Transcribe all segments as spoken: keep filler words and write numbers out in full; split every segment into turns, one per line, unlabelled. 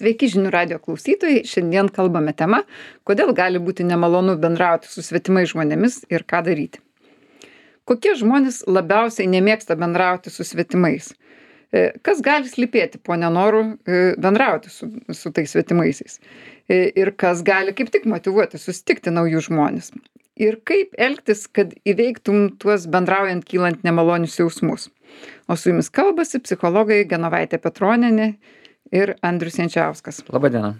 Sveiki žinių radijo klausytojai, šiandien kalbame tema, kodėl gali būti nemalonu bendrauti su svetimais žmonėmis ir ką daryti. Kokie žmonės labiausiai nemėgsta bendrauti su svetimais? E, Kas gali slypėti po nenoru e, bendrauti su, su tais svetimaisiais? E, Ir kas gali kaip tik motyvuoti susitikti naujus žmonės? Ir kaip elgtis, kad įveiktum tuos bendraujant kylant nemalonius jausmus? O su jumis kalbasi psichologai Genovaitė Petronienė ir Andrius Jančiauskas.
Labadiena.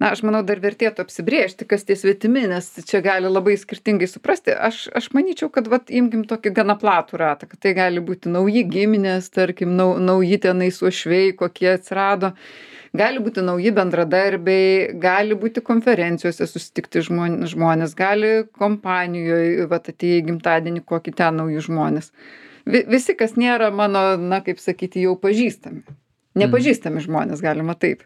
Na, aš manau, dar vertėtų apsibrėžti, kas tie svetimi, nes čia gali labai skirtingai suprasti. Aš, aš manyčiau, kad vat, imkim tokį gana platų ratą, kad tai gali būti nauji giminės, tarkim, nau, nauji tenai suošviai, kokie atsirado. Gali būti nauji bendradarbiai, gali būti konferencijose susitikti žmonės, žmonės gali kompanijoje, vat, atėjai gimtadienį, kokį ten naujų žmonės. Vi, visi, kas nėra mano, na, kaip sakyti, jau pažįstami. Nepažįstami žmonės, galima taip.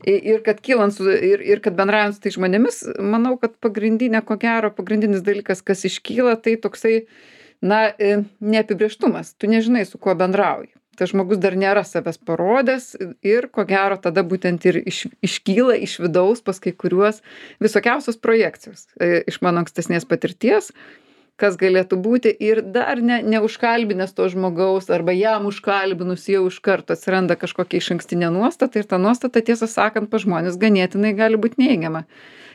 Ir kad kylant su, ir, ir kad bendraujant su tai žmonėmis, manau, kad pagrindinė, ko gero, pagrindinis dalykas, kas iškyla, tai toksai, na, neapibrėžtumas. Tu nežinai, su kuo bendrauji. Tas žmogus dar nėra savęs parodęs ir, ko gero, tada būtent ir iš, iškyla iš vidaus pas kai kuriuos visokiausios projekcijos iš mano ankstesnės patirties, kas galėtų būti ir dar ne, neužkalbinęs to žmogaus arba jam užkalbinus jau iš karto atsiranda kažkokia išankstinė nuostata ir ta nuostata, tiesą sakant, pas žmonės ganėtinai gali būti neigiama.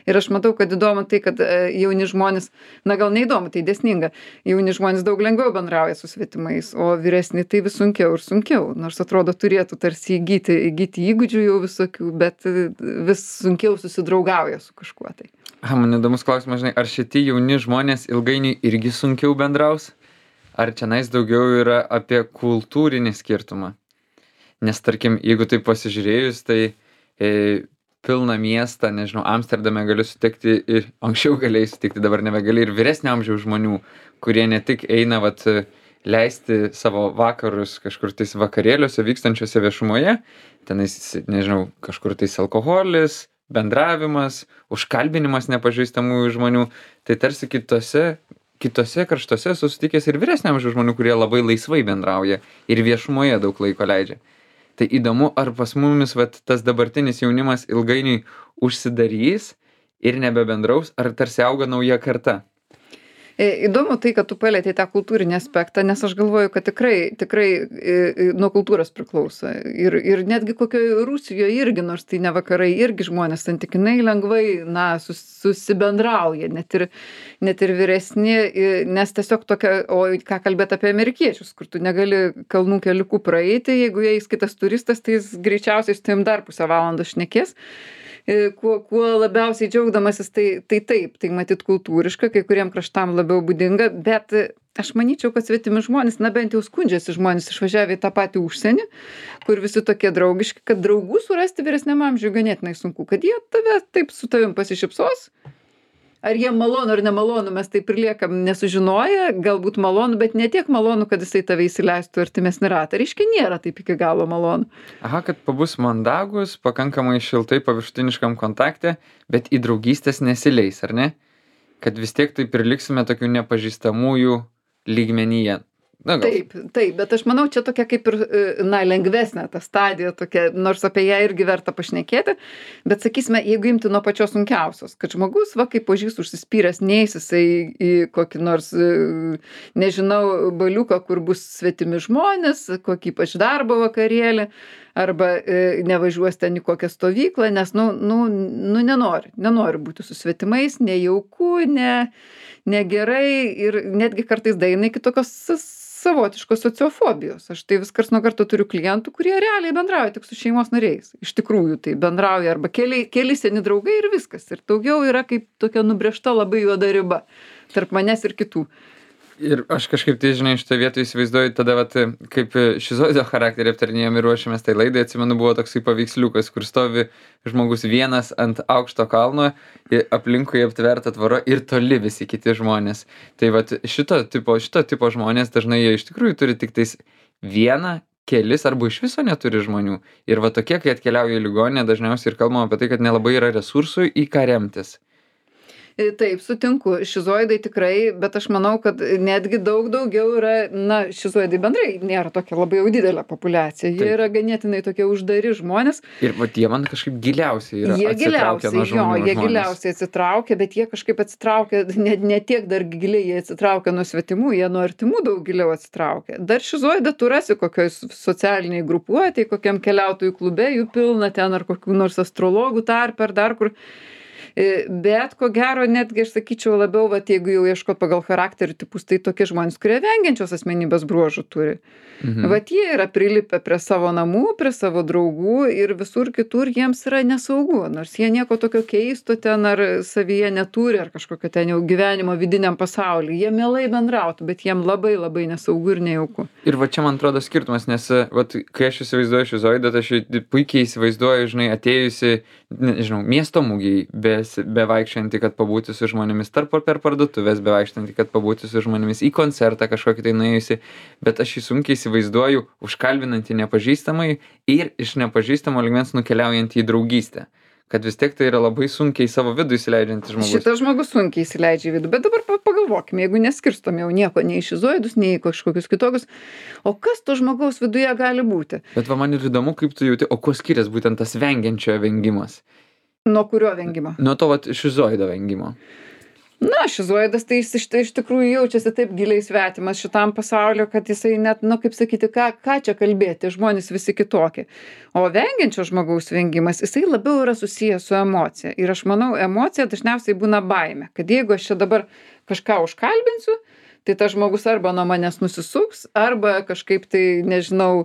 Ir aš matau, kad įdomu tai, kad jauni žmonės, na gal neįdomu, tai dėsninga, jauni žmonės daug lengviau bendrauja su svetimais, o vyresni tai vis sunkiau ir sunkiau, nors atrodo turėtų tarsi įgyti, įgyti įgūdžių jau visokių, bet vis sunkiau susidraugauja su kažkuo tai.
Ha, man įdomus klausimas, žinai, ar šitie jauni žmonės ilgainiui irgi sunkiau bendraus? Ar čionais daugiau yra apie kultūrinį skirtumą? Nes tarkim, jeigu taip pasižiūrėjus, tai e, pilną miestą, nežinau, Amsterdame galiu sutikti ir anksčiau galėjai sutikti, dabar nebegali ir vyresnio amžiaus žmonių, kurie ne tik eina vat, leisti savo vakarus kažkur tais vakarėliuose vykstančiuose viešumoje, tenais, nežinau, kažkur tais alkoholis, bendravimas, užkalbinimas nepažįstamų žmonių, tai tarsi kitose, kitose kraštuose susitikęs ir vyresnio amžiaus žmonių, kurie labai laisvai bendrauja ir viešumoje daug laiko leidžia. Tai įdomu, ar pas mumis vat, tas dabartinis jaunimas ilgainiui užsidarys ir nebebendraus, ar tarsi auga nauja karta?
Įdomu tai, kad tu palietei tą kultūrinį aspektą, nes aš galvoju, kad tikrai, tikrai nuo kultūros priklauso. Ir, ir netgi kokioje Rusijoje irgi, nors tai ne vakarai, irgi žmonės santykinai lengvai, na, sus, susibendrauja, net ir, net ir vyresni, nes tiesiog tokia, o ką kalbėt apie amerikiečius, kur tu negali kalnų keliukų praeiti, jeigu jais kitas turistas, tai jis greičiausiai su tavim dar pusę valandos šnekės. Kuo, kuo labiausiai džiaugdamasis, tai, tai taip, tai matyt kultūriška, kai kuriem kraštam labiau būdinga, bet aš manyčiau, kad svetimi žmonės, na bent jau skundžiasi žmonės išvažiavę į tą patį užsienį, kur visi tokie draugiški, kad draugų surasti vyresniam amžiui ganėtinai sunku, kad jie tave taip su tavim pasišypsos. Ar jie malonu ar nemalonu, mes taip ir liekam nesužinoję, galbūt malonu, bet ne tiek malonu, kad jisai tave įsileistų artimesnį ratą. Reiškia, nėra taip iki galo malonu.
Aha, kad pabus mandagus, pakankamai šiltai paviršutiniškam kontakte, bet į draugystės nesileis, ar ne? Kad vis tiek taip ir liksime tokių nepažįstamųjų lygmenyje. Na, gal.
Taip, taip, bet aš manau, čia tokia kaip ir, na, lengvesnė ta stadija, tokia, nors apie ją irgi verta pašnekėti, bet sakysime, jeigu imti nuo pačios sunkiausios, kad žmogus, va, kaip pažys užsispyręs, neis jisai į kokį nors, nežinau, baliuką, kur bus svetimi žmonės, kokį ypač darbo vakarėlį, arba e, nevažiuos ten į kokią stovyklą, nes, nu, nu, nu nenori, nenori būti su svetimais, nejauku, ne, negerai ir netgi kartais daina iki tokios savotiškos sociofobijos. Aš tai vis karts nuo karto turiu klientų, kurie realiai bendrauja tik su šeimos nariais. Iš tikrųjų tai bendrauja arba keli, keli seni draugai ir viskas. Ir daugiau yra kaip tokia nubrėžta labai juoda riba tarp manęs ir kitų.
Ir aš kažkaip tai, žinai, šitą vietą įsivaizduoju, tada vat, kaip šizoido charakterį aptarinėjom ir ruošėmės tai laidai, atsimenu, buvo toksai paveiksliukas, kur stovi žmogus vienas ant aukšto kalno, aplinkui aptverta tvora ir toli visi kiti žmonės. Tai vat šito tipo, šito tipo žmonės dažnai jie iš tikrųjų turi tik tais vieną, kelis arba iš viso neturi žmonių. Ir va tokie, kai atkeliauja į ligoninę, dažniausiai ir kalbama apie tai, kad nelabai yra resursų į ką remtis.
E, Taip, sutinku, šizoidai tikrai, bet aš manau, kad netgi daug daugiau yra, na, šizoidai bendrai nėra tokia labai jau didelė populiacija. Jie
Taip.
yra ganėtinai tokie uždari žmonės.
Ir vat jie man kažkaip giliausiai yra
Jie
atsitraukę
giliausiai,
nuo
jo,
žmonių
jie
žmonės.
giliausiai atsitraukia, bet jie kažkaip atsitraukia, ne, ne tiek dar giliai jie atsitraukia nuo svetimų, jie nuo artimų daug giliau atsitraukia. Dar šizoidą tu rasi kokioj socialiniai grupuotėj, kokiam keliautojų klube, jų pilna ten ar kokių nors astrologų tarpe ar dar kur. E, Bet ko gero, netgi aš sakyčiau labiau, vat, jeigu jau ieškot pagal charakterių tipus, tai tokie žmonės, kurie vengiančios asmenybės bruožų turi.
Mhm.
Vat jie yra prilipę prie savo namų, prie savo draugų ir visur kitur jiems yra nesaugu, nors jie nieko tokio keisto ten ar savyje neturi, ar kažkokio ten jau gyvenimo vidiniam pasaulyje. Jie mielai bendrautų, bet jiem labai labai nesaugu ir nejauku.
Ir va čia man atrodo skirtumas, nes vat, kai aš įsivaizduoju šizoidą, tai aš jį puikiai įsivaizduoju, žinai, atėjusi, nežinau, miesto mūgiai, be, bevaikščianti, kad pabūti su žmonėmis, tarp per parduotuvės bevaikščianti, kad pabūti su žmonėmis, į koncertą kažkokį tai nuėjusi, bet aš jį sunkiai įsivaizduoju užkalbinantį nepažįstamai ir iš nepažįstamo lygmens nukeliaujantį į draugystę. Kad vis tiek tai yra labai sunkiai savo vidų įsileidžiantis žmogus.
Šitas žmogus sunkiai įsileidžia į vidų, bet dabar pa- pagalvokime, jeigu neskirstom jau nieko, nei į šizoidus, nei į kažkokius kitokius, o kas to žmogaus viduje gali būti?
Bet va man ir įdomu, kaip tu jauti, o kuo skiriasi būtent tas vengiančiojo vengimas?
Nuo kurio vengimo?
Nuo to vat šizoido vengimo.
Na, šizoidas tai jis iš, iš tikrųjų jaučiasi taip giliai svetimas šitam pasauliu, kad jisai net, nu kaip sakyti, ką, ką čia kalbėti, žmonės visi kitokie. O vengiančio žmogaus vengimas, jisai labiau yra susijęs su emocija. Ir aš manau, emocija dažniausiai būna baimė, kad jeigu aš čia dabar kažką užkalbinsiu, tai tas žmogus arba nuo manęs nusisuks, arba kažkaip tai, nežinau,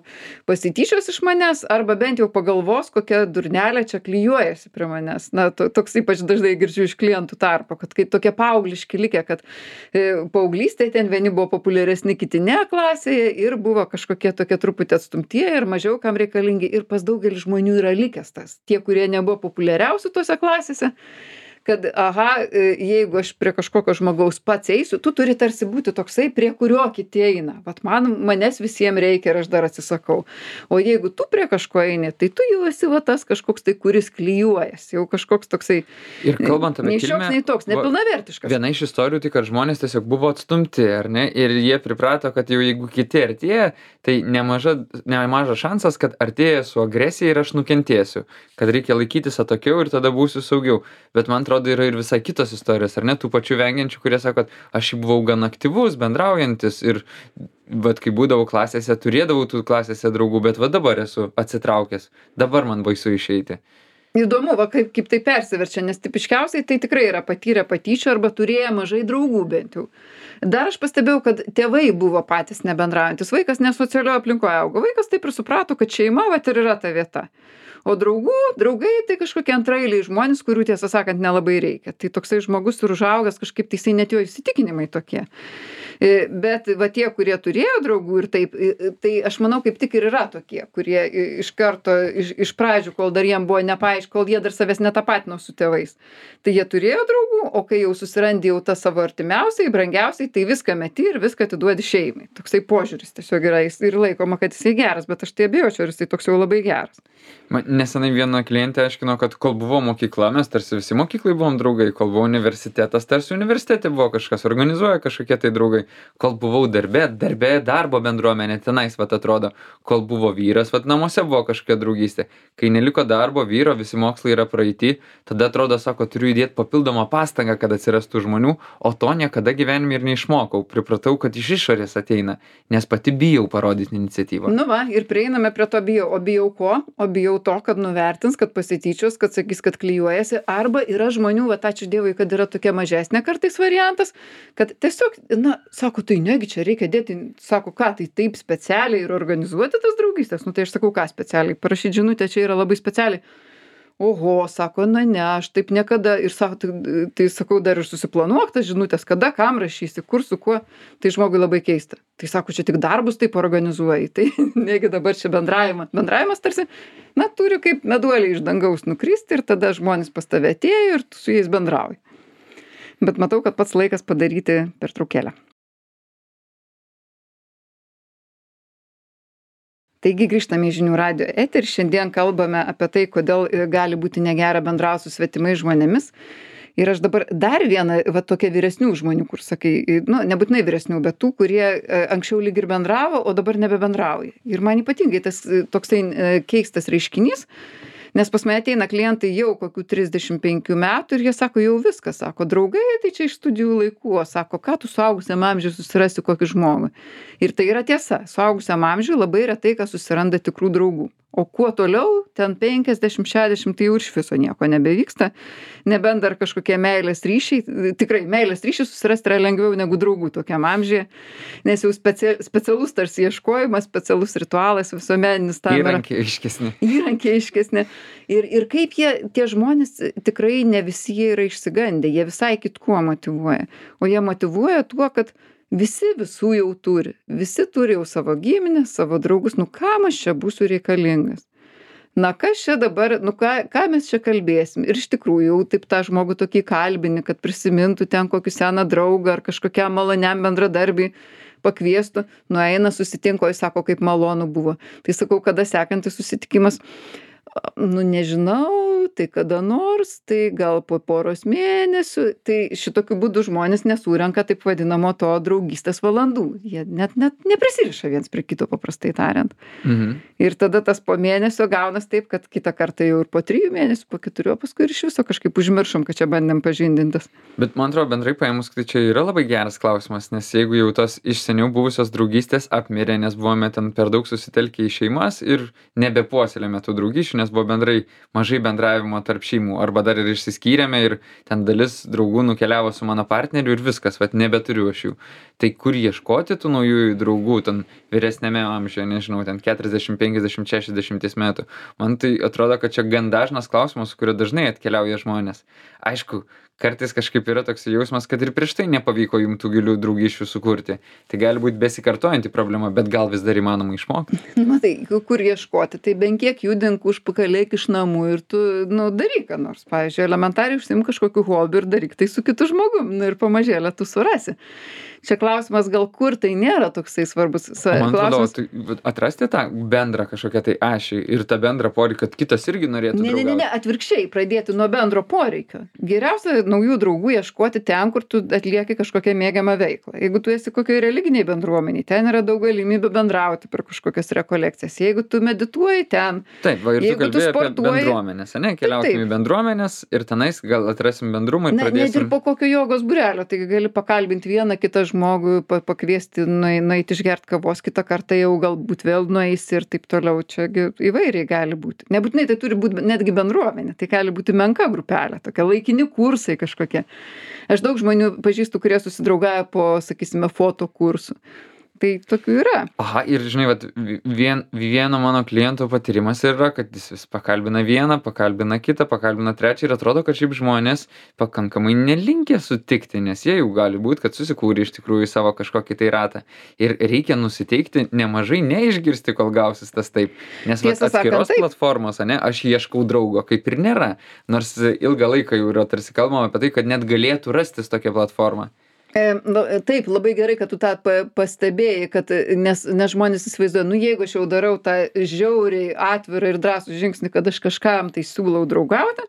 pasityčios iš manęs, arba bent jau pagalvos, kokia durnelė čia klyjuojasi prie manęs. Na, to, toks ypač dažnai girdžiu iš klientų tarpo, kad kai tokie paaugliški likę, kad e, paauglystėje ten vieni buvo populiaresni, kiti ne klasėje ir buvo kažkokie tokie truputį atstumtieji ir mažiau kam reikalingi. Ir pas daugelį žmonių yra likęs tas. Tie, kurie nebuvo populiariausi tose klasėse, kad, aha, jeigu aš prie kažkokio žmogaus pats eisiu, tu turi tarsi būti toksai, prie kurio kiti eina. Vat man, manęs visiems reikia ir aš dar atsisakau. O jeigu tu prie kažko eini, tai tu jau esi va tas kažkoks tai, kuris klyjuojas. Jau kažkoks toksai.
Ir kalbant apie
nei šioks,
kilmę,
nei toks, nepilnavertiškas.
Viena iš istorijų tai, kad žmonės tiesiog buvo atstumti, ar ne? Ir jie priprato, kad jau jeigu kiti artėja, tai nemaža, nemažas šansas, kad artėja su agresija ir aš nukentėsiu. Kad reikia laikytis atokiau ir tada būsiu saugiau. Bet man atrodo, yra ir visai kitos istorijos, ar ne? Tų pačių vengiančių, kurie sako, kad aš buvau gan aktyvus, bendraujantis ir vat kai būdavau klasėse, turėdavau tų klasėse draugų, bet va dabar esu atsitraukęs. Dabar man baisu išeiti.
Įdomu, va, kaip, kaip tai persiverčia, nes tipiškiausiai tai tikrai yra patyrę patyčių arba turėję mažai draugų bent jau. Dar aš pastebėjau, kad tėvai buvo patys nebendraujantis. Vaikas nesocialioje aplinkoje augo. Vaikas taip ir suprato, kad šeima vat ir yra ta vieta. O draugų, draugai tai kažkokie antraeiliai žmonės, kurių tiesą sakant nelabai reikia. Tai toksai žmogus ir užaugęs kažkaip tai jisai net jo įsitikinimai tokie. Bet va tie, kurie turėjo draugų ir taip, tai aš manau kaip tik ir yra tokie, kurie iš karto, iš, iš pradžių, kol dar jiem buvo nepaaiškino, kol jie dar savęs netapatino su tėvais. Tai jie turėjo draugų, o kai jau susirandi jau tą savo artimiausiai, brangiausiai, tai viską meti ir viską atiduodi šeimai. Toksai požiūris tiesiog yra jis ir laikoma, kad jisai geras, bet aš tai abejočiau, ar jisai toks jau labai geras.
Man nesenai viena klientė aiškino, kad kol buvo mokykla, mes tarsi visi mokyklai buvom draugai, kol buvo universitetas, tarsi universitete buvo kažkas, organizuoja kažkokie tai draugai, kol buvau darbe, darbe darbo bendruomenė, tenais, vat atrodo, kol buvo vyras, vat namuose buvo kažkokia draugystė. Kai neliko darbo, vyro, visi mokslai yra praeiti, tada atrodo, sako, turiu įdėti papildomą pastangą, kad atsirastų žmonių, o to niekada gyvenime ir neišmokau. Pripratau, kad iš išorės ateina, nes pati bijau parodyti iniciatyvą.
Nu va, ir prieiname prie to bijau. O bijau ko? O bijau to, kad nuvertins, kad pasityčios, kad sakys, kad klyjuojasi. Arba yra žmonių, va, ačiū Dievui, kad yra tokia mažesnė kartais variantas, kad tiesiog, na, sako, tai negi čia reikia dėti, sako, ką, tai taip specialiai ir organizuoti tas draugystės. Nu tai aš sakau, ką specialiai, parašyti žinutę čia yra labai specialiai. Oho, sako, na ne, aš taip niekada. Ir sako, tai, tai sakau, dar ir susiplanuok tas žinutės, kada, kam rašysi, kur, su kuo. Tai žmogui labai keista. Tai sako, čia tik darbus taip organizuoji. Tai negi dabar čia bendravimas. Bendravimas tarsi, na, turi kaip meduoliai iš dangaus nukristi ir tada žmonės pas tave atėjo ir tu su jais bendrauji. Bet matau, kad pats laikas padaryti pertraukėlę. Taigi grįžtame į žinių radijo eterį. Šiandien kalbame apie tai, kodėl gali būti negera bendrauti su svetimais žmonėmis. Ir aš dabar dar vieną, va tokia vyresnių žmonių, kur sakai, nu, nebūtinai vyresnių, bet tų, kurie e, anksčiau lyg ir bendravo, o dabar nebebendrauja. Ir man ypatingai tas e, toksai e, keistas reiškinys, nes pas mane ateina klientai jau kokių trisdešim penkių metų ir jie sako, jau viskas, sako, draugai, tai čia iš studijų laikų, o sako, ką tu suaugusiam amžiui susirasi kokį žmogų. Ir tai yra tiesa, suaugusiam amžiui labai retai, kas susiranda tikrų draugų. O kuo toliau, ten penkiasdešim šešiasdešim, tai jau iš viso nieko nebevyksta, nebent dar kažkokie meilės ryšiai, tikrai meilės ryšiai susirasti yra lengviau negu draugų tokiam amžiuje, nes jau specia, specialus tarsi ieškojimas, specialus ritualas visuomeninis tam yra.
Įrankiai aiškesni.
Įrankiai aiškesni. Ir, ir kaip jie, tie žmonės, tikrai ne visi jie yra išsigandę, jie visai kitkuo motyvuoja. O jie motyvuoja tuo, kad visi visų jau turi. Visi turi jau savo giminės, savo draugus. Nu kam aš čia būsiu reikalingas? Na kas čia dabar, nu ką, ką mes čia kalbėsim? Ir iš tikrųjų jau taip tą žmogų tokį kalbini, kad prisimintų ten kokį seną draugą ar kažkokiam maloniam bendradarbį pakviestų. Nueina, susitinko, jis sako, kaip malonu buvo. Tai sakau, kada sekantis susitikimas? Nu nežinau, tai kada nors, tai gal po poros mėnesių. Tai šitokiu būdu žmonės nesurenka taip vadinamo to draugystės valandų. Jie net, net neprisiriša viens prie kito, paprastai tariant.
Mhm.
Ir tada tas po mėnesio gaunas taip, kad kitą kartą jau ir po trijų mėnesių, po keturių, paskui ir iš viso kažkaip užmiršom, kad čia bandėm pažindintis.
Bet man atrodo, bendrai paėmus, tai čia yra labai geras klausimas, nes jeigu jau tos iš seniau buvusios draugystės apmirė, nes buvome ten per daug susitelkę į šeimas ir nebepuoselėme tų draugysčių, nes buvo bendrai mažai bendravimo tarp šeimų, arba dar ir išsiskyrėme ir ten dalis draugų nukeliavo su mano partneriu ir viskas, vat nebeturiu aš jų. Tai kur ieškoti tų naujųjų draugų, ten vyresnėme amžiuje, nežinau, ten keturiasdešim, penkiasdešim, šešiasdešim metų. Man tai atrodo, kad čia gan dažnas klausimas, su kuriuo dažnai atkeliauja žmonės. Aišku, kartais kažkaip yra toks jausmas, kad ir prieš tai nepavyko jums tų gilių draugysčių sukurti. Tai gali būti besikartojanti problema, bet gal vis dar įmanoma išmokti.
Matai, kur ieškoti, tai bent kiek judink užpakalėk iš namų ir tu, nu, daryk ką nors. Pavyzdžiui, elementariai užsiim kažkokiu hobiu ir daryk tai su kitu žmogum, nu, ir pamažėlę tu surasi. Čia klausimas, gal kur tai nėra toksai svarbus.
Man atrodo,
klausimas...
tai atrasti tą bendrą kažkokią tai ašį ir tą bendrą poreikį, kad kitas irgi norėtų
Ne, ne, ne, ne, atvirkščiai, pradėti nuo bendro poreikio. Geriausia naujų draugų ieškoti ten, kur tu atlieki kažkokią mėgiamą veiklą. Jeigu tu esi kokioje religiniai bendruomeniai, ten yra daug galimybių bendrauti per kažkokias rekolekcijas. Jeigu tu medituoji ten.
Taip, va, ir tu kalbėjai apie
sportuoji...
bendruomenės, ne? Keliaukim į bendruomenės ir tenais gal atrasim bendrumą ir
Na,
pradėsim.
net ir po kokio jogos būrelio, tai gali pakalbinti vieną kitą žmogų, pa, pakviesti nueiti išgerti kavos, kitą kartą jau galbūt vėl nueisi ir taip toliau. Čia įvairiai gali būti. Nebūtinai tai turi būti netgi bendruomenė, tai gali būti menka grupelė, tokia laikini kursai kažkokie. Aš daug žmonių pažįstu, kurie susidraugauja po, sakysime, foto kursų. Tai tokių yra.
Aha, ir žinai, vat, vien, vieno mano kliento patyrimas yra, kad jis vis pakalbina vieną, pakalbina kitą, pakalbina trečią ir atrodo, kad šiaip žmonės pakankamai nelinkę sutikti, nes jie jau gali būti, kad susikūrė iš tikrųjų savo kažkokį tai ratą. Ir reikia nusiteikti nemažai neišgirsti, kol gausis tas taip. Nes vat, atskiros platformos, ne, aš ieškau draugo, kaip ir nėra. Nors ilgą laiką jau yra tarsi kalbama apie tai, kad net galėtų rastis tokia platforma.
E, nu, taip, labai gerai, kad tu tą pastebėjai, kad, nes, nes žmonės įsivaizduoja, nu jeigu aš jau darau tą žiauriai atvirą ir drąsų žingsnį, kad aš kažkam tai siūlau draugauti,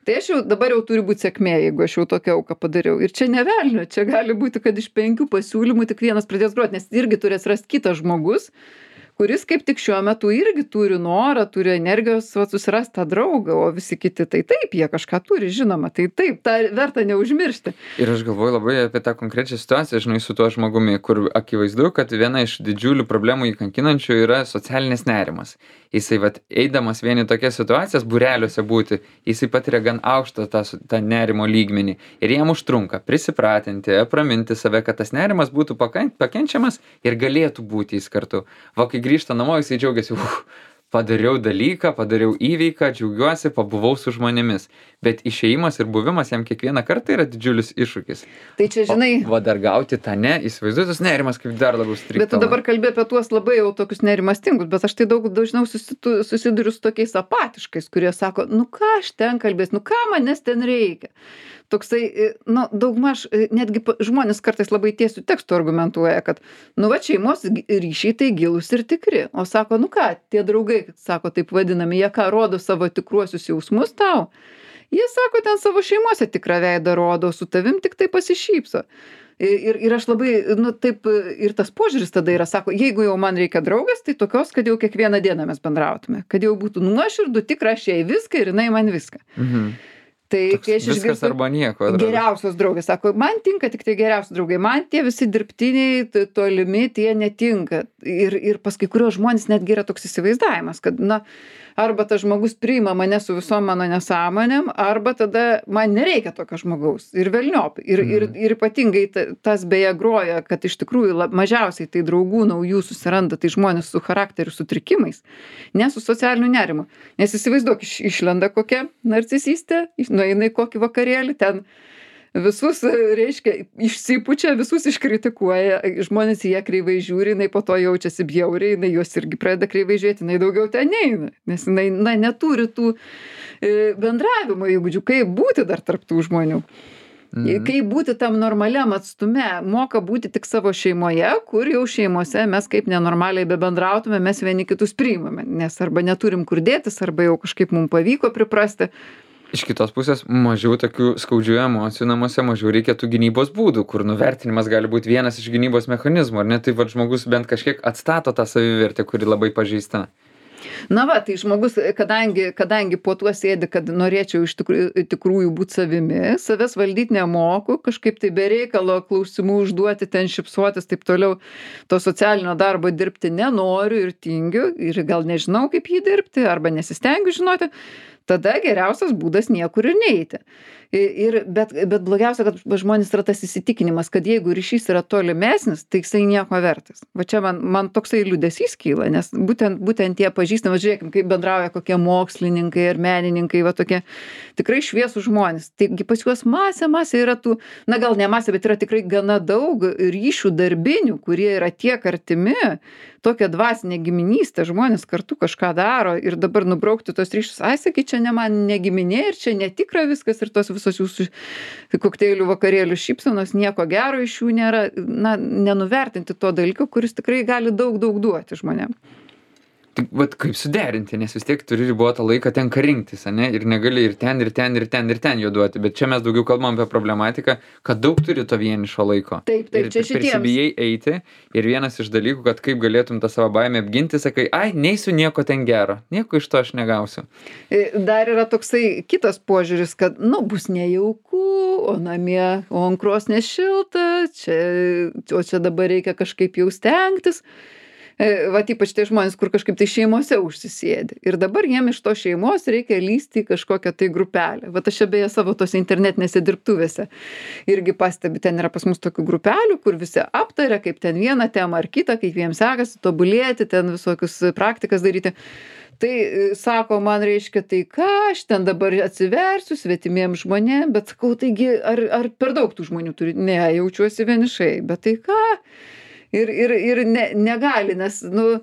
tai aš jau dabar jau turi būti sėkmė, jeigu aš jau tokią auką padariau. Ir čia ne velnio, čia gali būti, kad iš penkių pasiūlymų tik vienas pradės groti, nes irgi turės rasti kitas žmogus, kuris kaip tik šiuo metu irgi turi norą, turi energijos va, susirasti tą draugą, o visi kiti tai taip, jie kažką turi, žinoma, tai taip, tą verta neužmiršti.
Ir aš galvoju labai apie tą konkrečią situaciją, žinai, su tuo žmogumi, kur akivaizdu, kad viena iš didžiulių problemų įkankinančių yra socialinis nerimas. Jisai, vat, eidamas vieni tokias situacijas, būreliuose būti, jisai patiria gan aukštą tą, tą nerimo lygmenį. Ir jam užtrunka prisipratinti, apraminti save, kad tas nerimas būtų pakenčiamas ir galėtų būti jis kartu. Va, kai grįžta namo, jisai džiaugiasi, uh, padariau dalyką, padariau įveiką, džiaugiuosi, pabuvau su žmonėmis. Bet išėjimas ir buvimas jam kiekvieną kartą yra didžiulis iššūkis.
Tai čia, žinai...
O, va, dar gauti tą ne, įsivaizduoju, tas nerimas kaip dar labiau striktą.
Bet tu dabar kalbė apie tuos labai jau tokius nerimastingus, bet aš tai daug dažniau susitu, susiduriu su tokiais apatiškais, kurie sako, nu ką aš ten kalbės, nu ką manęs ten reikia. Toksai, nu, daugmaž, netgi žmonės kartais labai tiesių tekstų argumentuoja, kad, nu, va, šeimos ryšiai tai gilūs ir tikri. O sako, nu ką, tie draugai, sako, taip vadinami, jie ką rodo savo tikruosius jausmus tau. Jie sako, ten savo šeimose tikrą veidą rodo, su tavim tik tai pasišypso. Ir, ir aš labai, nu taip, ir tas požiūris tada yra, sako, jeigu jau man reikia draugės, tai tokios, kad jau kiekvieną dieną mes bendrautume, kad jau būtų nuoširdų, tikra, aš jai viską ir jinai man viską.
Mhm.
Tai
Toks
kai aš
viskas
išgirstu
arba nieko. atrodo.
geriausios draugės, sako, man tinka tik tai geriausi draugai, man tie visi dirbtiniai, t- tolimi, tie netinka. Ir, ir pas kai kurios žmonės netgi yra toks įsivaizdavimas, kad, na, arba tas žmogus priima mane su visom mano nesąmonėm, arba tada man nereikia tokio žmogaus. Ir velniop. Ir, ir, ir ypatingai ta- tas beje groja, kad iš tikrųjų lab, mažiausiai tai draugų naujų susiranda, tai žmonės su charakterių sutrikimais, ne su socialiniu nerimu. Nes įsivaizduok, iš, išlenda kokia narcisistė, iš- nueina į kokį vakarėlį, ten visus, reiškia, išsipučia, visus iškritikuoja, žmonės į ją kreivai žiūri, jinai po to jaučiasi bjauriai, jinai juos irgi pradeda kreivai žiūrėti, jinai daugiau ten neina, nes jinai, na, neturi tų e, bendravimo įgūdžių, kaip būti dar tarp tų žmonių.
Mhm.
Kaip būti tam normaliam atstume, moka būti tik savo šeimoje, kur jau šeimose mes kaip nenormaliai bebendrautume, mes vieni kitus priimame, nes arba neturim kur dėtis, arba jau kažkaip mums pavyko priprasti.
Iš kitos pusės, mažiau tokių skaudžių emocijų namuose, mažiau reikia tų gynybos būdų, kur nuvertinimas gali būti vienas iš gynybos mechanizmų, ar ne? Tai vad žmogus bent kažkiek atstato tą savivertę, kuri labai pažeista.
Na va, tai žmogus, kadangi, kadangi po tuo sėdi, kad norėčiau iš tikrųjų, tikrųjų būti savimi, savęs valdyti nemoku, kažkaip tai be reikalo klausimų užduoti, ten šipsuotis, taip toliau, to socialinio darbo dirbti nenoriu ir tingiu, ir gal nežinau, kaip jį dirbti, arba nesistengiu žinoti, tada geriausias būdas niekur ir neiti. Ir, bet, bet blogiausia, kad žmonės yra tas įsitikinimas, kad jeigu ryšys yra tolimesnis, tai jisai nieko vertas. Va čia man, man toksai liūdesys kyla, nes būtent, būtent tie pažįstami, žiūrėkim, kaip bendrauja kokie mokslininkai ir menininkai, va tokie tikrai šviesų žmonės. Taigi pas juos masė, masė yra tų, na gal ne masė, bet yra tikrai gana daug ryšių darbinių, kurie yra tiek artimi, tokia dvasinė giminystė, žmonės kartu kažką daro ir dabar nubraukti tos ryšius, ai sakai, čia ne man negiminė ir čia netikra viskas ir tos visos jūsų kokteilių vakarėlių šypsenos, nieko gero iš jų nėra, na, nenuvertinti to dalyko, kuris tikrai gali daug, daug duoti žmonėm.
Tai vat kaip suderinti, nes vis tiek turi ribotą laiką tenka rinktis, ane? Ir negali ir ten, ir ten, ir ten, ir ten jo duoti. Bet čia mes daugiau kalbam apie problematiką, kad daug turi to vienišo laiko.
Taip, taip,
ir
čia šitiems.
prisibijai eiti. Ir vienas iš dalykų, kad kaip galėtum tą savo baimę apginti, sakai, ai, neisiu nieko ten gero. Nieko iš to aš negausiu.
Dar yra toksai kitas požiūris, kad, nu, bus nejauku, o namie, o ant krosnės šilta, čia, o čia dabar reikia kažkaip jau stengtis. Vat ypač tie žmonės, kur kažkaip tai šeimose užsisėdi. Ir dabar jiem iš to šeimos reikia lysti į kažkokią tai grupelę. Vat aš čia beje savo tose internetinėse dirbtuvėse irgi pastebi, ten yra pas mus tokių grupelių, kur visi aptaria, kaip ten vieną temą ar kitą, kaip jiems sekasi tobulėti, ten visokius praktikas daryti. Tai sako, man reiškia, tai ką aš ten dabar atsiversiu svetimiem žmonėm, bet sakau, taigi, ar, ar per daug tų žmonių turi? Ne, jaučiuosi vienišai, bet tai ką? Ir, ir, ir ne, negali, nes, nu,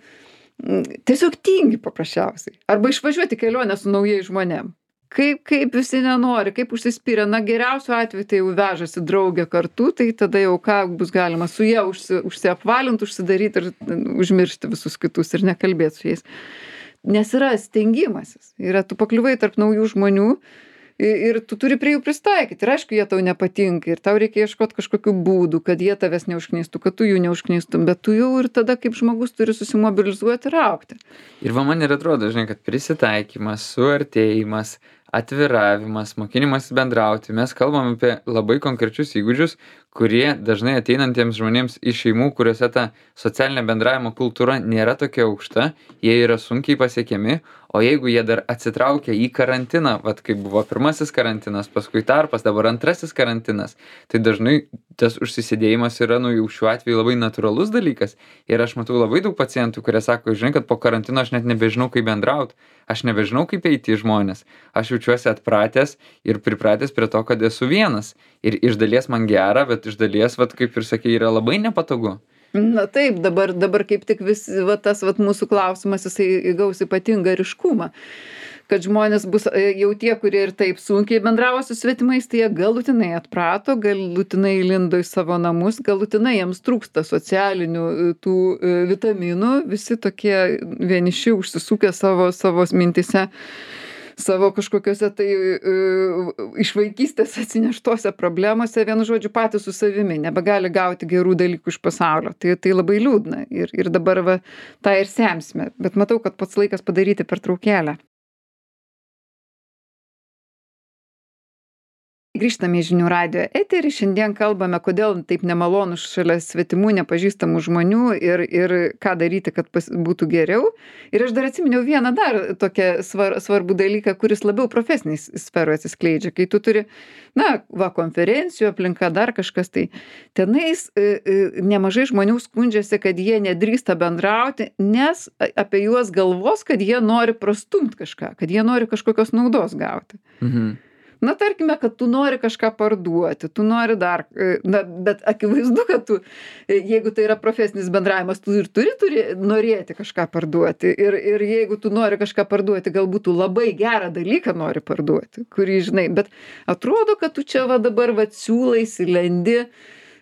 tiesiog tingi paprasčiausiai. Arba išvažiuoti kelionę su naujais žmonėm. Kaip, kaip visi nenori, kaip užsispyrę. Na, geriausiu atveju tai jau vežasi draugę kartu, tai tada jau ką bus galima su ją užsi, užsiapvalinti, užsidaryti ir užmiršti visus kitus ir nekalbėti su jais. Nes yra stengimasis. Yra, tu pakliuvai tarp naujų žmonių, ir tu turi prie jų pristaikyti. Ir aišku, jie tau nepatinka. Ir tau reikia ieškoti kažkokių būdų, kad jie tavęs neužknistų, kad tu jų neužknistum. Bet tu jau ir tada kaip žmogus turi susimobilizuoti ir augti.
Ir va man ir atrodo, žinai, kad prisitaikymas, suartėjimas, atviravimas, mokinimas bendrauti. Mes kalbam apie labai konkrečius įgūdžius, kurie dažnai ateinantiems žmonėms iš šeimų, kuriuose ta socialinė bendravimo kultūra nėra tokia aukšta, jie yra sunkiai pasiekiami, o jeigu jie dar atsitraukia į karantiną, vat kaip buvo pirmasis karantinas, paskui tarpas, dabar antrasis karantinas, tai dažnai tas užsisėdėjimas yra, nu, jau šiuo atveju labai natūralus dalykas. Ir aš matau labai daug pacientų, kurie sako, žinai, kad po karantino aš net nebežinau, kaip bendrauti, aš nebežinau, kaip eiti į žmonės. Aš jaučiuosi atpratęs ir pripratęs prie to, kad esu vienas. Ir iš dalies man gera, bet iš dalies, vat, kaip ir sakei, yra labai nepatogu.
Na taip, dabar, dabar kaip tik vis, va, tas va, mūsų klausimas, jisai įgaus ypatingą ryškumą. Kad žmonės bus jau tie, kurie ir taip sunkiai bendravo su svetimais, tai jie galutinai atprato, galutinai lindo į savo namus, galutinai jiems trūksta socialinių tų vitaminų, visi tokie vieniši užsisukę savo, savo mintise. savo kažkokiose tai uh, iš vaikystės atsineštose problemose, vienu žodžiu, patys su savimi, nebegali gauti gerų dalykų iš pasaulio. Tai, tai labai liūdna ir, ir dabar va, tą ir semsime. Bet matau, kad pats laikas padaryti pertraukėlę. Grįžtame į Žinių radijo eterį. Šiandien kalbame, kodėl taip nemalonu šalia svetimų, nepažįstamų žmonių ir, ir ką daryti, kad pas, būtų geriau. Ir aš dar atsiminiau vieną dar tokią svar, svarbų dalyką, kuris labiau profesiniai sferoje atsiskleidžia. Kai tu turi, na, va, konferencijų aplinka, dar kažkas, tai tenais e, e, nemažai žmonių skundžiasi, kad jie nedrįsta bendrauti, nes apie juos galvos, kad jie nori prastumti kažką, kad jie nori kažkokios naudos gauti.
Mhm.
Na, tarkime, kad tu nori kažką parduoti, tu nori dar, na, bet akivaizdu, kad tu, jeigu tai yra profesinis bendravimas, tu ir turi, turi norėti kažką parduoti. Ir, ir jeigu tu nori kažką parduoti, galbūt tu labai gerą dalyką nori parduoti, kurį žinai, bet atrodo, kad tu čia va dabar va siūlaisi, lendi,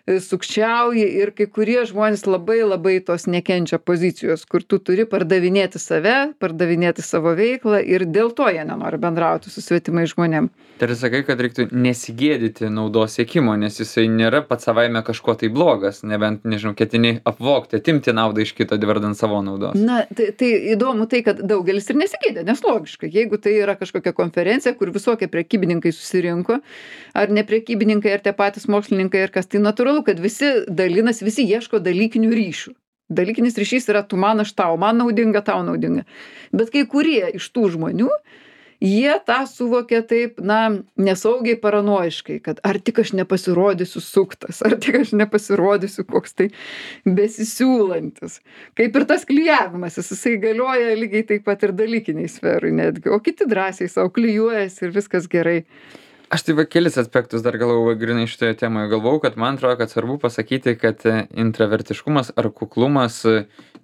sukčiauji ir kai kurie žmonės labai labai tos nekenčia pozicijos, kur tu turi pardavinėti save, pardavinėti savo veiklą ir dėl to jie nenori bendrauti su svetimais žmonėm.
Tai sakai, kad reiktų nesigėdyti naudos siekimo, nes jisai nėra pats savaime kažko tai blogas, nebent, nežinau, ketini apvogti, atimti naudą iš kito, vardant savo naudos.
Na, tai, tai įdomu tai, kad daugelis ir nesigėdė, nes logiška, jeigu tai yra kažkokia konferencija, kur visokie prekybininkai susirinko, ar ne prekybininkai, ar tie patys mokslininkai, ar kas, tai natūralu, kad visi dalinas, visi ieško dalykinių ryšių. Dalykinis ryšys yra tu man, aš tau, man naudinga, tau naudinga. Bet kai kurie iš tų žmonių, jie tą suvokia taip, na, nesaugiai paranoiškai, kad ar tik aš nepasirodysiu suktas, ar tik aš nepasirodysiu koks tai besisiūlantis. Kaip ir tas klijavimas, jisai galioja lygiai taip pat ir dalykiniai sferui netgi, o kiti drąsiai savo klijuojasi ir viskas gerai.
Aš tai va kelis aspektus dar galvojau grinai šitoje temoje. Galvojau, kad man atrodo, kad svarbu pasakyti, kad intravertiškumas ar kuklumas,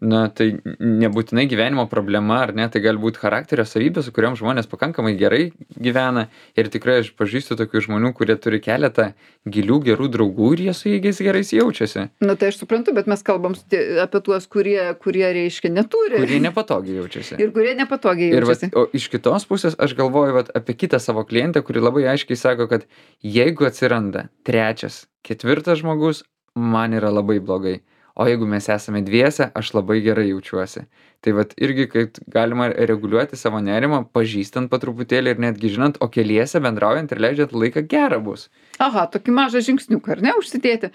na, tai nebūtinai gyvenimo problema, ar ne, tai gali būti charakterio savybė, su kuriom žmonės pakankamai gerai gyvena. Ir tikrai aš pažįstu tokių žmonių, kurie turi keletą gilių gerų draugų ir jie su jais gerai jaučiasi.
Na, tai aš suprantu, bet mes kalbam apie tuos, kurie, kurie reiškia neturi.
Kurie nepatogiai jaučiasi.
Ir kurie nepatogiai jaučiasi.
Ir vat, o iš kitos pusės aš galvoju vat, apie kitą savo klientę, kuri labai aiškiai sako, kad jeigu atsiranda trečias, ketvirtas žmogus, man yra labai blogai. O jeigu mes esame dviese, aš labai gerai jaučiuosi. Tai vat irgi, kaip galima reguliuoti savo nerimą, pažįstant po truputėlį ir netgi žinant, o keliese bendraujant ir leidžiant laiką gerą bus.
Aha, tokį mažą žingsniuką, ar ne, užsidėti.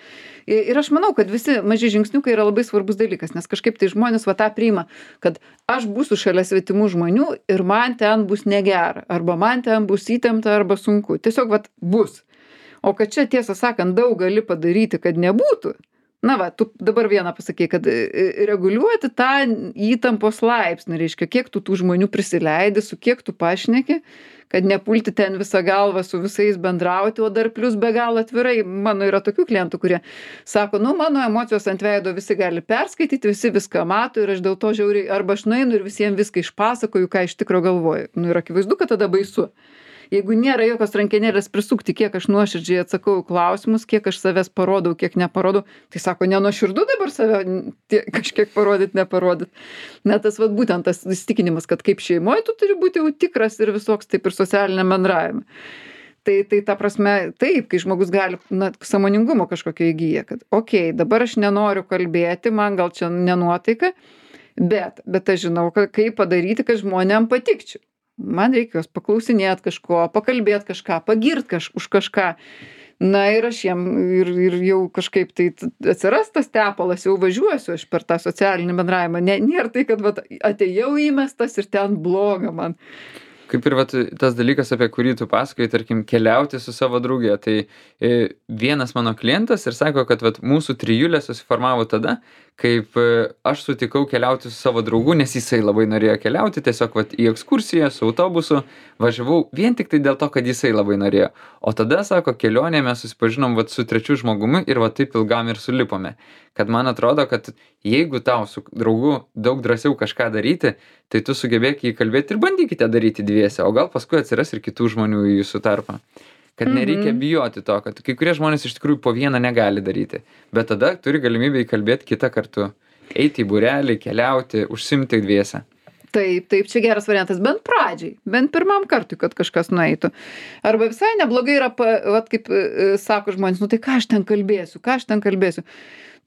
Ir aš manau, kad visi maži žingsniukai yra labai svarbus dalykas, nes kažkaip tai žmonės va tą priima, kad aš būsiu šalia svetimų žmonių ir man ten bus negera, arba man ten bus įtempta, arba sunku. Tiesiog va bus. O kad čia tiesą sakant daug gali padaryti, kad nebūtų. Na va, tu dabar vieną pasakei, kad reguliuoti tą įtampos laipsnį, reiškia, kiek tu tų žmonių prisileidi, su kiek tu pašneki, kad nepulti ten visą galvą su visais bendrauti, o dar plus be galo atvirai. Mano yra tokių klientų, kurie sako, nu, mano emocijos ant veido visi gali perskaityti, visi viską mato ir aš dėl to žiauriai, arba aš nueinu ir visiems viską išpasakoju, ką iš tikro galvoju. Nu, ir akivaizdu, kad tada baisu. Jeigu nėra jokios rankenėlės prisukti, kiek aš nuoširdžiai atsakau klausimus, kiek aš savęs parodau, kiek neparodau, tai sako, nenuoširdu dabar save tie, kažkiek parodyt, neparodyt. Net tas vat, būtent tas įsitikinimas, kad kaip šeimoje tu turi būti jau tikras ir visoks, taip ir socialiniam bendravime. Tai, tai ta prasme, taip, kai žmogus gali, na, sąmoningumo kažkokio įgyja, kad, okei, okay, dabar aš nenoriu kalbėti, man gal čia nenuotaika, bet, bet aš žinau, kaip padaryti, kad žmonėm patikčiau. Man reikia jos paklausinėt kažko, pakalbėt kažką, pagirt kaž, už kažką. Na ir aš jiem ir, ir jau kažkaip tai atsiras tas tepalas, jau važiuosiu aš per tą socialinį bendravimą. Ne, nėra tai, kad vat, atėjau įmestas ir ten bloga man.
Kaip ir vat, tas dalykas, apie kurį tu pasakai, tarkim, keliauti su savo draugė. Tai e, vienas mano klientas ir sako, kad vat, mūsų trijulė susiformavo tada, kaip e, aš sutikau keliauti su savo draugu, nes jisai labai norėjo keliauti, tiesiog vat, į ekskursiją su autobusu važiavau vien tik tai dėl to, kad jisai labai norėjo. O tada, sako, kelionėje mes susipažinom vat, su trečiu žmogumi ir vat, taip ilgam ir sulipome. Kad man atrodo, kad jeigu tau su draugu daug drąsiau kažką daryti, tai tu sugebėk jį kalbėti ir bandykite daryti dviese, o gal paskui atsiras ir kitų žmonių į jūsų tarpą. Kad nereikia bijoti to, kad kai kurie žmonės iš tikrųjų po vieną negali daryti, bet tada turi galimybę įkalbėti kitą kartu, eiti į būrelį, keliauti, užsimti dviese.
Taip, taip, čia geras variantas, bent pradžiai, bent pirmam kartui, kad kažkas nueitų. Arba visai neblogai yra, pa, vat kaip e, sako žmonės, nu tai ką aš ten kalbėsiu, ką aš ten kalbėsiu.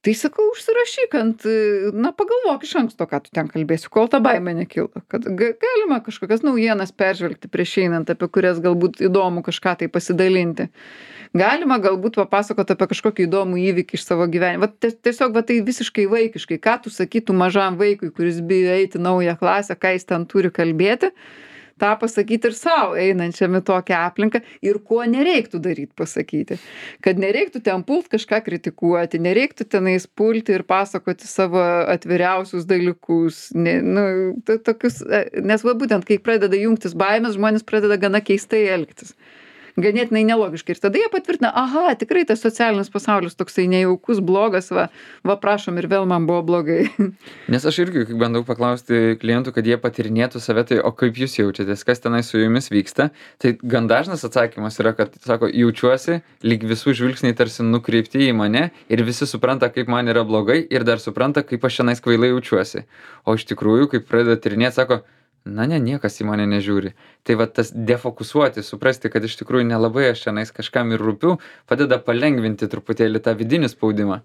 Tai sakau, užsirašyk ant, e, na pagalvok iš anksto, ką tu ten kalbėsi, kol ta baimė nekilo. Kad ga- galima kažkokias naujienas peržvelgti prieš einant, apie kurias galbūt įdomu kažką tai pasidalinti. Galima galbūt papasakot apie kažkokį įdomų įvykį iš savo gyvenimo. Vat ties- tiesiog va tai visiškai vaikiškai, ką tu sakytum mažam vaikui, kuris bijo eiti į naują klasę, ką jis ten turi kalbėti, tą pasakyti ir savo einančiam į tokią aplinką ir ko nereiktų daryti pasakyti. Kad nereiktų ten pult kažką kritikuoti, nereiktų tenais pulti ir pasakoti savo atviriausius dalykus. Ne, nu, to- tokius, e, nes va būtent, kai pradeda jungtis baimės, žmonės pradeda gana keistai elgtis. Ganėtinai nelogiškai. Ir tada jie patvirtina, aha, tikrai tas socialinis pasaulis toksai nejaukus, blogas, va, va prašom ir vėl man buvo blogai.
Nes aš irgi, kai bandau paklausti klientų, kad jie patirinėtų save, tai o kaip jūs jaučiatės, kas tenai su jumis vyksta, tai gan dažnas atsakymas yra, kad, sako, jaučiuosi, lyg visų žvilgsniai tarsi nukreipti į mane ir visi supranta, kaip man yra blogai ir dar supranta, kaip aš šiandien kvailai jaučiuosi. O iš tikrųjų, kai pradeda tyrinėti, sako, na ne, niekas į mane nežiūri. Tai va tas defokusuoti, suprasti, kad iš tikrųjų nelabai aš šiandien kažkam ir rūpiu, padeda palengvinti truputėlį tą vidinį spaudimą.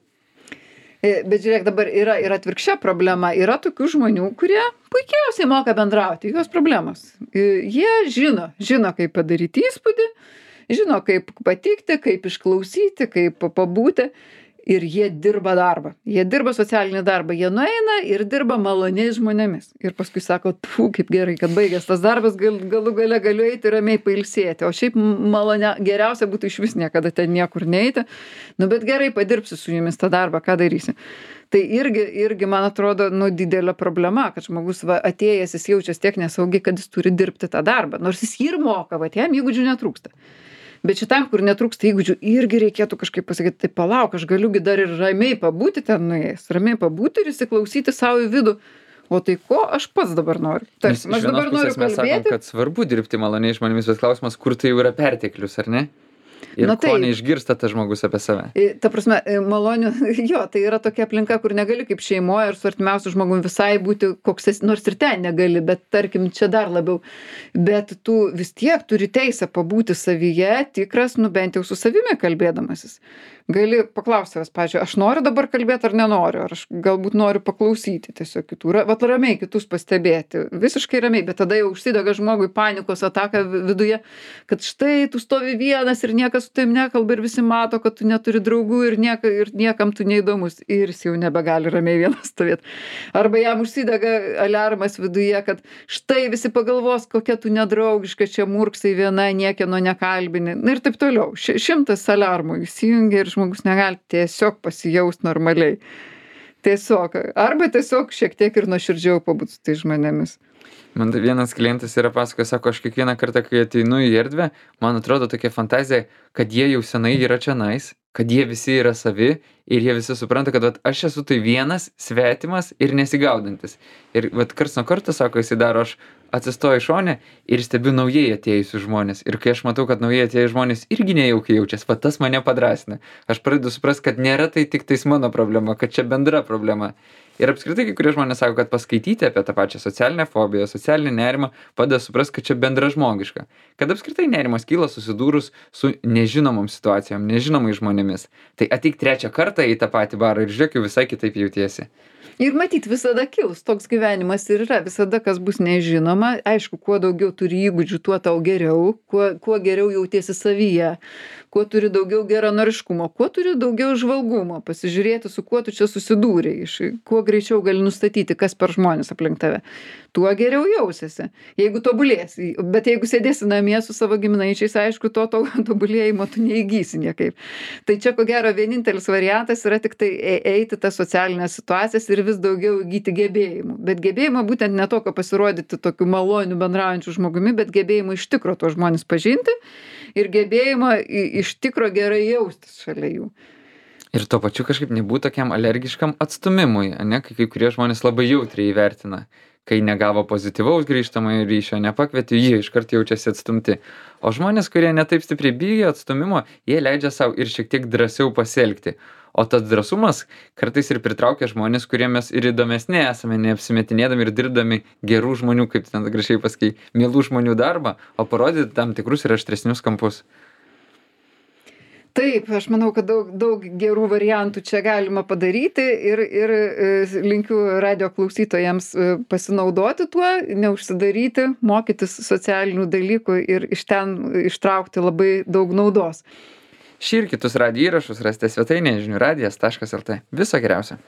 E, Bet žiūrėk, dabar yra ir atvirkščia problema. Yra tokių žmonių, kurie puikiausiai moka bendrauti, jos problemos. E, Jie žino, žino, kaip padaryti įspūdį, žino, kaip patikti, kaip išklausyti, kaip pabūti. Ir jie dirba darbą. Jie dirba socialinį darbą. Jie nueina ir dirba maloniais žmonėmis. Ir paskui sako, tu, kaip gerai, kad baigęs tas darbas, gal, galų gale galiu eiti ramiai pailsėti. O šiaip malonė, geriausia būtų iš vis niekada ten niekur neiti. Nu, bet gerai, padirbsi su jumis tą darbą, ką darysi. Tai irgi, irgi man atrodo, nu, didelė problema, kad žmogus va, atėjęs, jis jaučiasi tiek nesaugiai, kad jis turi dirbti tą darbą. Nors jis jį ir moka, va, jam įgūdžių netrūksta. Bet šitam, kur netrūksta įgūdžių, irgi reikėtų kažkaip pasakyti, tai palauk, aš galiugi dar ir ramiai pabūti ten nuėjęs, ramiai pabūti ir įsiklausyti savo į vidų. O tai ko aš pats dabar noriu?
Nes
Tarsi,
iš
aš
vienos
dabar noriu
pusės mes sakom,
kalbėti.
kad svarbu dirbti maloniai žmonėmis, bet klausimas, kur tai jau yra perteklius, ar ne? Ir
Na
ko
taip.
neišgirsta tas žmogus apie save.
E, Ta prasme, e, malonių, jo, tai yra tokia aplinka, kur negali kaip šeimoje ir su artimiausiu žmogumi visai būti koks esi, nors ir ten negali, bet tarkim, čia dar labiau. Bet tu vis tiek turi teisę pabūti savyje, tikras, nu bent jau su savimi kalbėdamasis. Gali paklausti savęs, pavyzdžiui, aš noriu dabar kalbėti ar nenoriu, ar aš galbūt noriu paklausyti tiesiog kitų, ra- vat ramiai kitus pastebėti, visiškai ramiai, bet tada jau užsidega žmogui panikos ataka vi- viduje, kad štai tu stovi vienas ir niekas su tavim nekalba ir visi mato, kad tu neturi draugų ir, nieka, ir niekam tu neįdomus ir jis jau nebegali ramiai vienas stovėti. Arba jam užsidega aliarmas viduje, kad štai visi pagalvos, kokia tu nedraugiška, čia murksai viena, niekieno nekalbini. Na ir taip toliau. Ši- Šimtas aliarmų įsijungia ir žmogus negali tiesiog pasijaust normaliai. Tiesiog. Arba tiesiog šiek tiek ir nuoširdžiau pabūt su tai žmonėmis.
Man tai vienas klientas yra pasakojęs, sako, aš kiekvieną kartą, kai ateinu į erdvę, man atrodo tokia fantazija, kad jie jau senai yra čionais, kad jie visi yra savi ir jie visi supranta, kad vat, aš esu tai vienas, svetimas ir nesigaudantis. Ir vat karts nuo karto, sako, jis daro, aš atsistoju į šonę ir stebiu naujai atėjusius žmonės. Ir kai aš matau, kad naujai atėjus žmonės irgi nejaukiai jaučiasi, va tas mane padrasina. Aš pradedu suprasti, kad nėra tai tik tais mano problema, kad čia bendra problema. Ir apskritai, kai kurie žmonės sako, kad paskaityti apie tą pačią socialinę fobiją, socialinį nerimą, padeda suprasti, kad čia bendra žmogiška. Kad apskritai nerimas kyla susidūrus su nežinomom situacijom, nežinomais žmonėmis. Tai ateik trečią kartą į tą patį barą ir žiūrėk, jau visai kitaip jautiesi.
Ir matyt, visada kils, toks gyvenimas ir yra, visada kas bus nežinoma, aišku, kuo daugiau turi įgūdžių, tuo tau geriau, kuo, kuo geriau jautiesi savyje, kuo turi daugiau geranoriškumo, kuo turi daugiau žvalgumo, pasižiūrėti, su kuo tu čia susidūrei, iš, kuo greičiau gali nustatyti, kas per žmonės aplink tave, tuo geriau jausiesi, jeigu tobulėsi, bet jeigu sėdėsi namie su savo giminaičiais, aišku, to, to tobulėjimo tu neįgysi niekaip. Tai čia, ko gero, vienintelis variantas yra tik tai e- eiti tas socialinės situacijas ir vis daugiau įgyti gebėjimų. Bet gebėjimą būtent ne tokio pasirodyti tokiu maloniu bendraujančiu žmogumi, bet gebėjimą iš tikro to žmonės pažinti ir gebėjimą i- iš tikro gerai jaustis šalia jų.
Ir tuo pačiu kažkaip nebūt tokiam alergiškam atstumimui, ane, kai kai kurie žmonės labai jautriai įvertina. Kai negavo pozityvaus grįžtamojo ryšio, nepakvietė, jie iškart jaučiasi atstumti. O žmonės, kurie netaip stipriai bijo atstumimo, jie leidžia savo ir šiek tiek drąsiau pasielgti. O tas drąsumas kartais ir pritraukia žmones, kurie mes ir įdomesni esame, neapsimetinėdami ir dirbdami gerų žmonių, kaip ten gražiai pasakei, mielų žmonių darbą, o parodyti tam tikrus ir aštresnius kampus.
Taip, aš manau, kad daug, daug gerų variantų čia galima padaryti ir, ir e, linkiu radio klausytojams e, pasinaudoti tuo, neužsidaryti, mokytis socialinių dalykų ir iš ten ištraukti labai daug naudos.
Šį ir kitus radijo įrašus rasite svetainėje žinių radijas taškas lt. Viso geriausio.